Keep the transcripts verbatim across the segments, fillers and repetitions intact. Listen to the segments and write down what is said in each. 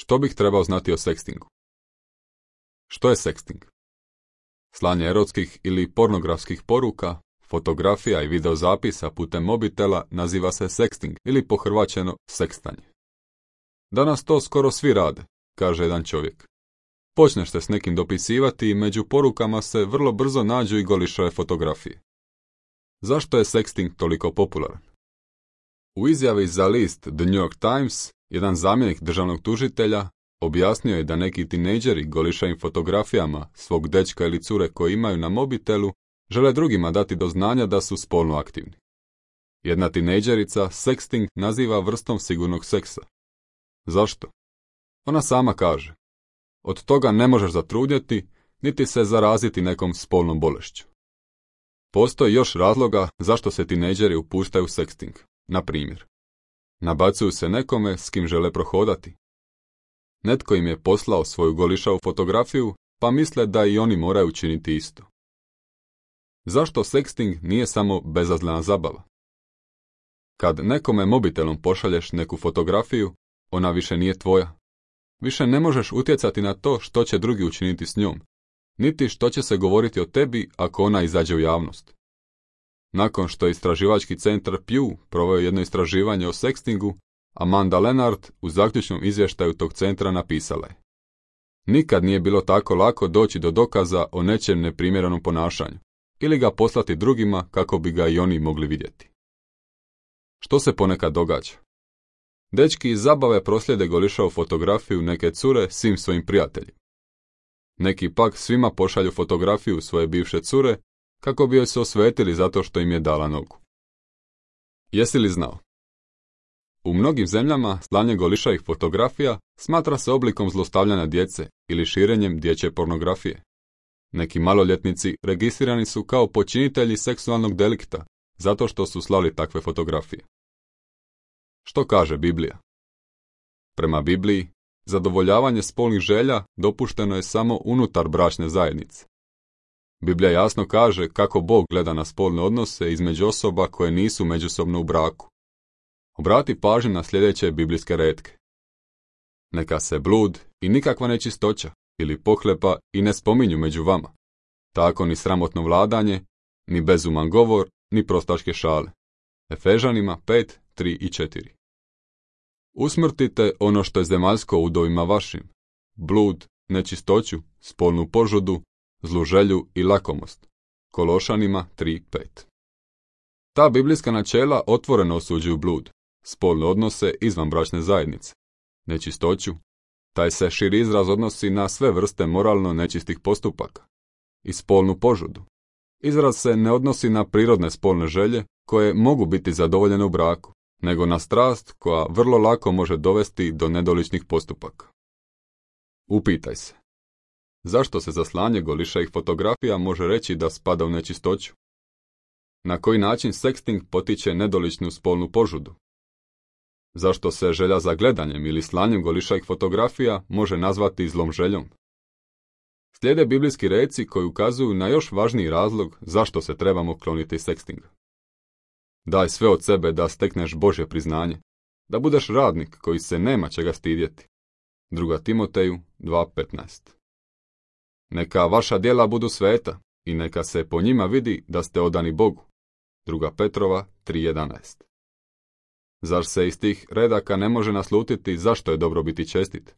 Što bih trebao znati o sekstingu? Što je seksting? Slanje erotskih ili pornografskih poruka, fotografija i videozapisa putem mobitela naziva se seksting ili pohrvaćeno sekstanje. Danas to skoro svi rade, kaže jedan čovjek. Počneš se s nekim dopisivati i među porukama se vrlo brzo nađu i golišave fotografije. Zašto je seksting toliko popularan? U izjavi za list The New York Times, jedan zamjenik državnog tužitelja objasnio je da neki tinejdžeri golišavim fotografijama svog dečka ili cure koji imaju na mobitelu žele drugima dati do znanja da su spolno aktivni. Jedna tinejdžerica seksting naziva vrstom sigurnog seksa. Zašto? Ona sama kaže: od toga ne možeš zatrudnjeti, niti se zaraziti nekom spolnom bolešću. Postoji još razloga zašto se tinejdžeri upuštaju u seksting. Na primjer, nabacuju se nekome s kim žele prohodati. Netko im je poslao svoju golišavu fotografiju, pa misle da i oni moraju učiniti isto. Zašto seksting nije samo bezazlena zabava? Kad nekome mobitelom pošalješ neku fotografiju, ona više nije tvoja. Više ne možeš utjecati na to što će drugi učiniti s njom, niti što će se govoriti o tebi ako ona izađe u javnost. Nakon što je istraživački centar Pew proveo jedno istraživanje o sekstingu, Amanda Leonard u zaključnom izvještaju tog centra napisala je: nikad nije bilo tako lako doći do dokaza o nečem neprimjerenom ponašanju, ili ga poslati drugima kako bi ga i oni mogli vidjeti. Što se ponekad događa? Dečki iz zabave proslijede golišavu fotografiju neke cure svim svojim prijateljima. Neki pak svima pošalju fotografiju svoje bivše cure kako bi joj se osvetili zato što im je dala nogu. Jesi li znao? U mnogim zemljama slanje golišavih fotografija smatra se oblikom zlostavljanja djece ili širenjem dječje pornografije. Neki maloljetnici registrirani su kao počinitelji seksualnog delikta zato što su slali takve fotografije. Što kaže Biblija? Prema Bibliji, zadovoljavanje spolnih želja dopušteno je samo unutar bračne zajednice. Biblija jasno kaže kako Bog gleda na spolne odnose između osoba koje nisu međusobno u braku. Obrati pažnju na sljedeće biblijske retke. Neka se blud i nikakva nečistoća ili pohlepa i ne spominju među vama. Tako ni sramotno vladanje, ni bezuman govor, ni prostaške šale. Efežanima pet, tri i četiri. Usmrtite ono što je zemaljsko u udovima vašim: blud, nečistoću, spolnu požudu, zlu želju i lakomost. Kološanima tri, pet. Ta biblijska načela otvoreno osuđuju blud, spolne odnose izvan bračne zajednice, nečistoću, taj se širi izraz odnosi na sve vrste moralno nečistih postupaka, i spolnu požudu. Izraz se ne odnosi na prirodne spolne želje koje mogu biti zadovoljene u braku, nego na strast koja vrlo lako može dovesti do nedoličnih postupaka. Upitaj se: zašto se za slanje golišavih fotografija može reći da spada u nečistoću? Na koji način seksting potiče nedoličnu spolnu požudu? Zašto se želja za gledanjem ili slanjem golišavih fotografija može nazvati zlom željom? Slijede biblijski reci koji ukazuju na još važniji razlog zašto se trebamo kloniti sekstinga. Daj sve od sebe da stekneš Božje priznanje, da budeš radnik koji se nema čega stidjeti. Druga Timoteju dva petnaest. Neka vaša djela budu sveta i neka se po njima vidi da ste odani Bogu. Druga Petrova tri jedanaest. Zar se iz tih redaka ne može naslutiti zašto je dobro biti čestit?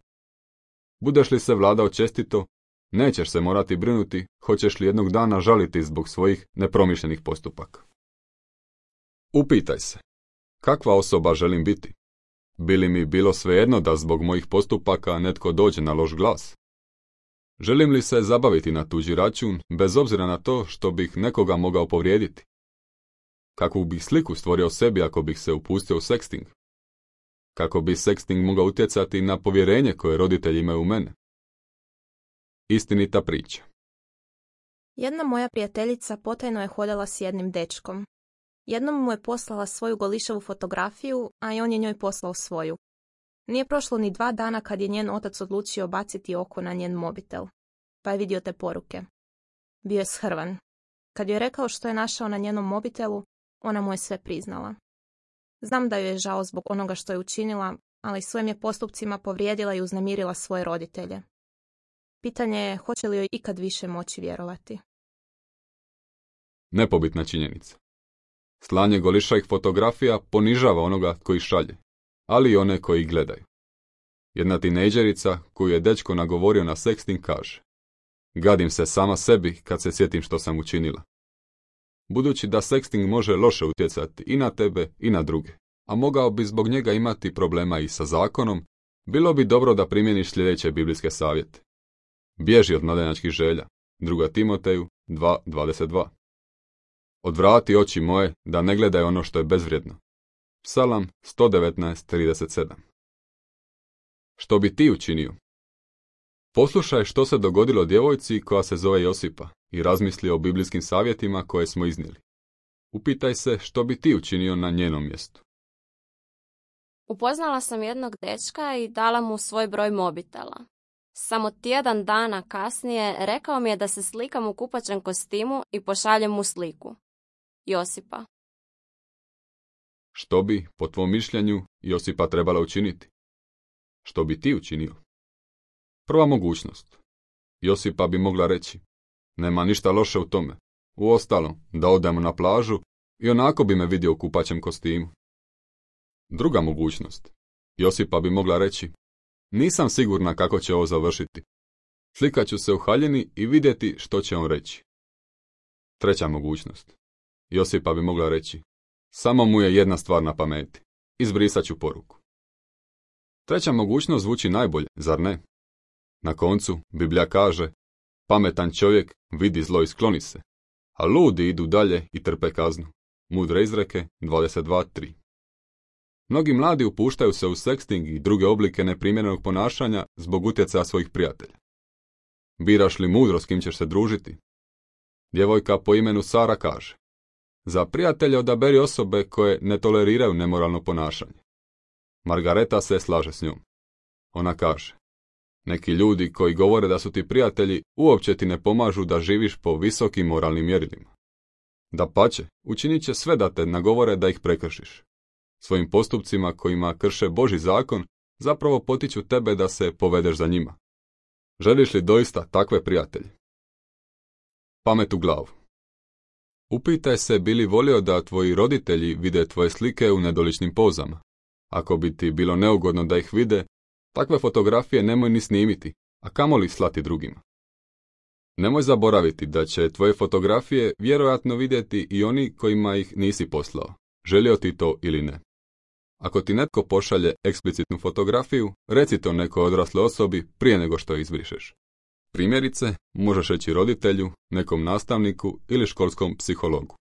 Budeš li se vladao čestito, nećeš se morati brinuti hoćeš li jednog dana žaliti zbog svojih nepromišljenih postupaka. Upitaj se: kakva osoba želim biti? Bi li mi bilo svejedno da zbog mojih postupaka netko dođe na loš glas? Želim li se zabaviti na tuđi račun bez obzira na to što bih nekoga mogao povrijediti? Kakvu bih sliku stvorio sebi ako bih se upustio u seksting? Kako bi seksting mogao utjecati na povjerenje koje roditelji imaju u mene? Istinita priča. Jedna moja prijateljica potajno je hodala s jednim dečkom. Jednom mu je poslala svoju golišavu fotografiju, a i on je njoj poslao svoju. Nije prošlo ni dva dana kad je njen otac odlučio baciti oko na njen mobitel, pa je vidio te poruke. Bio je shrvan. Kad joj je rekao što je našao na njenom mobitelu, ona mu je sve priznala. Znam da joj je žao zbog onoga što je učinila, ali svojim je postupcima povrijedila i uznemirila svoje roditelje. Pitanje je hoće li joj ikad više moći vjerovati. Nepobitna činjenica. Slanje golišavih fotografija ponižava onoga koji šalje, ali i one koji gledaju. Jedna tinejdžerica koju je dečko nagovorio na seksting kaže: gadim se sama sebi kad se sjetim što sam učinila. Budući da seksting može loše utjecati i na tebe i na druge, a mogao bi zbog njega imati problema i sa zakonom, bilo bi dobro da primjeniš sljedeće biblijske savjete. Bježi od mladenačkih želja. druga Timoteju dva dvadeset dva. Odvrati oči moje da ne gledaj ono što je bezvrijedno. Psalam sto devetnaest trideset sedam. Što bi ti učinio? Poslušaj što se dogodilo djevojci koja se zove Josipa i razmisli o biblijskim savjetima koje smo iznijeli. Upitaj se što bi ti učinio na njenom mjestu. Upoznala sam jednog dečka i dala mu svoj broj mobitela. Samo tjedan dana kasnije rekao mi je da se slikam u kupaćem kostimu i pošaljem mu sliku. Josipa. Što bi, po tvom mišljenju, Josipa trebala učiniti? Što bi ti učinio? Prva mogućnost. Josipa bi mogla reći: nema ništa loše u tome. Uostalom, da odemo na plažu i onako bi me vidio u kupaćem kostimu. Druga mogućnost. Josipa bi mogla reći: nisam sigurna kako će ovo završiti. Slikat ću se u haljini i vidjeti što će on reći. Treća mogućnost. Josipa bi mogla reći: samo mu je jedna stvar na pameti. Izbrisat ću poruku. Treća mogućnost zvuči najbolje, zar ne? Na koncu, Biblija kaže: pametan čovjek vidi zlo i skloni se, a ludi idu dalje i trpe kaznu. Mudre izreke dvadeset dva tri. Mnogi mladi upuštaju se u seksting i druge oblike neprimjerenog ponašanja zbog utjecaja svojih prijatelja. Biraš li mudro s kim ćeš se družiti? Djevojka po imenu Sara kaže: za prijatelje odaberi osobe koje ne toleriraju nemoralno ponašanje. Margareta se slaže s njom. Ona kaže: neki ljudi koji govore da su ti prijatelji uopće ti ne pomažu da živiš po visokim moralnim mjerilima. Dapače, učinit će sve da te nagovore da ih prekršiš. Svojim postupcima kojima krše Božji zakon zapravo potiču tebe da se povedeš za njima. Želiš li doista takve prijatelje? Pamet u glavu. Upitaj se bi li volio da tvoji roditelji vide tvoje slike u nedoličnim pozama. Ako bi ti bilo neugodno da ih vide, takve fotografije nemoj ni snimiti, a kamoli slati drugima. Nemoj zaboraviti da će tvoje fotografije vjerojatno vidjeti i oni kojima ih nisi poslao, želio ti to ili ne. Ako ti netko pošalje eksplicitnu fotografiju, reci to nekoj odrasle osobi prije nego što je izbrišeš. Primjerice, možeš reći roditelju, nekom nastavniku ili školskom psihologu.